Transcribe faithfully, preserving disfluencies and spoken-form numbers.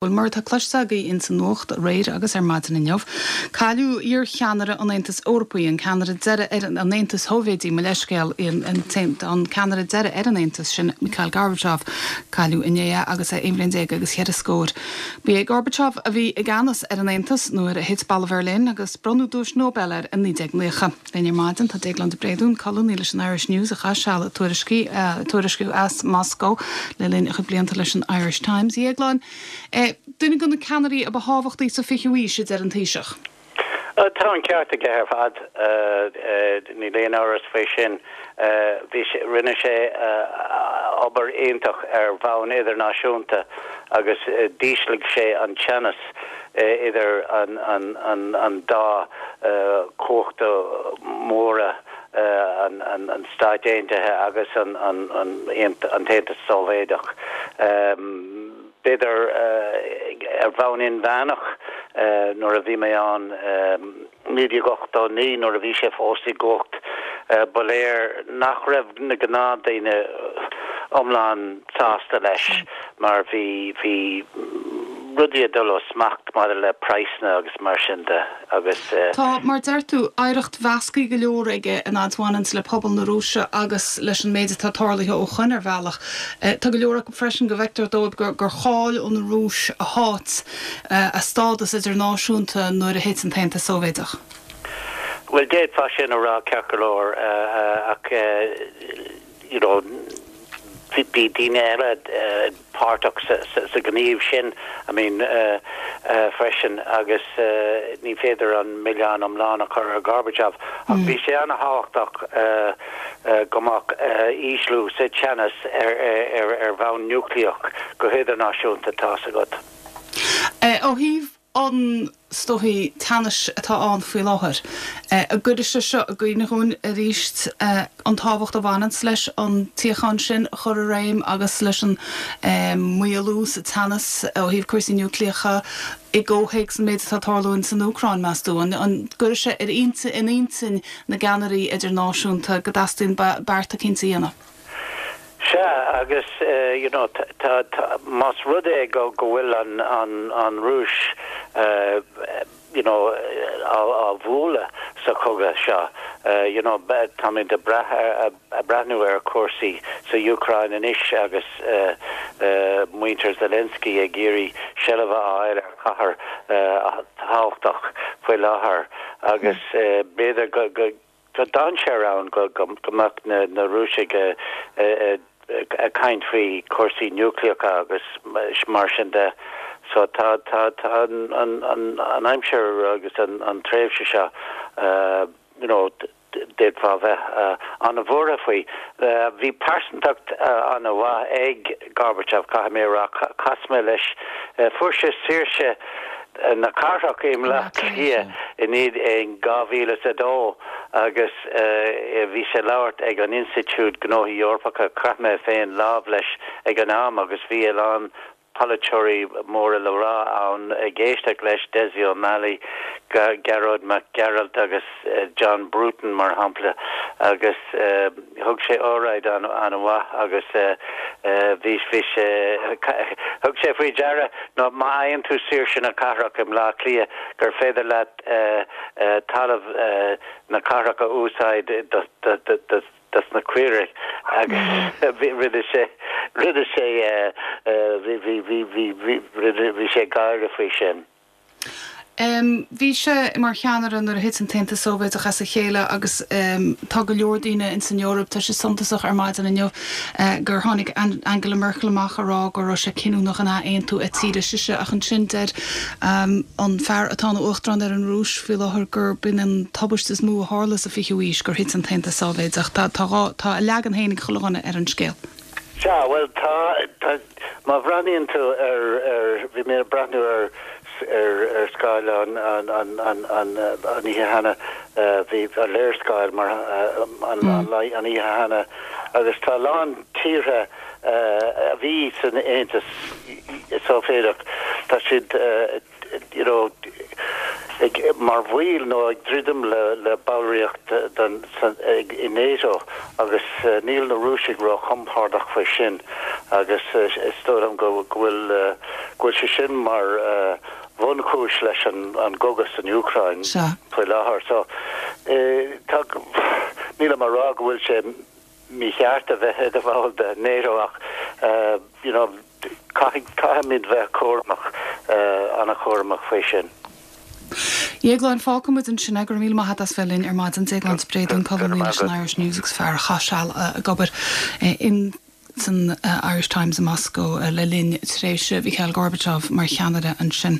Bhuel, mar atá cloiste agaibh insa nuacht aréir agus ar maidin inniu, cailleadh iarcheannaire an Aontais Eorpaigh, an ceannaire deiridh ar an Aontas Shóivéadaigh, mo leithscéal, an ceannaire deiridh ar an Aontas sin, Mikhail Gorbachev. Cailleadh inné é agus é aon bhliain déag agus cheithre scór. Ba é Gorbachev a bhí i gceannas ar an Aontas nuair a thit Balla Bheirlín agus bronnadh Duais Nobel air in naoi déag naocha. Linn ar maidin tá Déaglán de Bréadún, colúnaí leis an Irish News a chaith seal ag tuairisciú as Moscó le linn a chuid blianta leis an Irish Times. A Dhéagláin, duine de na ceannairí a ba thábhachtaí sa fichiú haois, a deir an Taoiseach. Tá an ceart aige ar fad, níl aon amhras faoi sin. Bhí sé, rinne sé obair iontach ar bhonn idirnáisiúnta agus d'ísligh sé an teannas idir an, an, an, an dá chumhacht mhóra, an, an, an Stáit Aontaithe agus an, an, an, an tAontas Sóivéadach. B'fhéidir ar bhonn inmheánach, nuair a bhí mé ann naoi déag ochtó naoi, nuair a bhí sé fós i gcumhacht, ba léir nach raibh na gnáthdhaoine iomlán sásta leis mar bhí bhí rudaí ag dul ó smacht maidir le praghsanna agus mar sin de agus. Tá, mar deir tú, oidhreacht mheasctha go leor aige an fhad a bhaineanns le pobal na Rúise agus leis an méid atá tarlaithe ó shoin ar bhealach. Tá go leor acu freisin go bhfeictear dóibh gur gur chaill an Rúis a háit, a stádas idirnáisiúnta nuair a thit an tAontas Sóivéadach. Bhuel, d'fhéadfá sin a rá ceart go leor ach you know, bhí daoine eile páirteach sa ghníomh sin, I mean, freisin agus ní féidir an milleán iomlán a chur ar Gorbachev ach bhí sé an-thábhachtach go mbeadh ísliú sa teannas ar bhonn núicléach go hidirnáisiúnta, tá's agat. Ó thaobh an is dóichí teannais atá ann faoi láthair. An gcuirfidh sé seo i gcuimhne dhúinn arís an tábhacht a bhaineanns leis an tsíocháin sin a chur i réim agus leis an maolú sa teannas ó thaobh cúrsaí núicléacha i gcomhthéacs an méid atá ag tarlú san Úcráin, meas tú? An gcuirfidh sé ar intinn, in intinn na gceannairí idirnáisiúnta go dteastaíonn bearta cinnte a dhéanamh? Sea, agus you know tá, tá, más rud é go go bhfuil an an an Rúis you know á á bhualadh sa chogadh seo, you know táimid ag brath ag breathnú ar chúrsaí sa Úcráin anois agus muintir Zelensky ag iarraidh seilbh a fháil ar chathair thábhachtach faoi láthair agus b'fhéidir go go Tá dainséar ann go mbeadh na Rúisigh ag caint faoi chúrsaí núicléacha agus mar sin de. So tá tá an aimsir agus an tréimhse seo, you know, d'fhéadfá bheith an-bhuartha faoi. Bhí pearsantacht an-mhaith ag Gorbachev, caithfidh mé a rá. Chas mé leis, fuair sé saoirse na cathrach i mBleá Cliath in in dhá mhíle is a dó agus bhí sé ag labhairt ag an Institiúid Gnóthaí Eorpacha. Chroith mé féin lámh leis ag an am agus bhí a lán polaiteoirí móra le rá ann ag éisteacht leis, Dessie O'Malley, Gearóid Mac Gearailt agus John Bruton mar shampla agus thug sé óráid an-mhaith agus bhí bhí sé thug sé faoi deara ná má fhaigheann tú saoirse na cathrach i mBleá Cliath gur féidir leat talamh na cathrach a úsáid do do dos na caoirigh agus rinne sé rinne sé bhí bhí bhí bhí bhí bhí sé ag gáire faoi sin. Bhí sé mar cheannaire nuair a thit an tAontas Sóivéadach as a chéile agus tá go leor daoine ins an Eoraip, tá sé suntasach ar maidin inniu gur tháinig Angela Merkel amach a rá go raibh sé cinniúnach an athaontú a tíre sise ach ansin deir an fear atá ina uachtarán ar an Rúis faoi láthair gur b'in an tubaiste is mó a tharla sa fichiú haois gur thit an tAontas Sóivéadach. Tá tá a leagan féin ag chuile dhuine ar an scéal. Sea, bhuel tá, tá, má bhreathnaíonn tú ar, ar, bhí mé ag breathnú ar, ar, ar scáileán an, an, an, an, an oíche cheana, bhí an léarscáil mar, an, an, an oíche cheana agus tá a lán tíortha a bhí san Aontas Sóivéadach, tá siad, you know, ag mar bhaol nó ag druidim le le ballraíocht den san ag i NATO agus uh, níl na Rúisigh ró-chompordach faoi sin agus uh, is dóigh liom go go bhfuil uh, go bhfuil sé sin mar uh, bhunchúis leis an an gcogadh san Úcráin faoi láthair so eh, tá níl mar rá go bhfuil sé mícheart a bheith i do bhall de NATO ach uh, you know caithfimid bheith cúramach uh, an-chúramach faoi sin. Dhéagláin fágfaimid ansin é go raibh míle maith agat as bheith linn ar maidin Déaglán Spréadún colúnaí leis an Irish News agus fear a chaith seal ag obair in san Irish Times i Moscow le linn tréimhse Mikhail Gorbachev mar cheannaire ansin.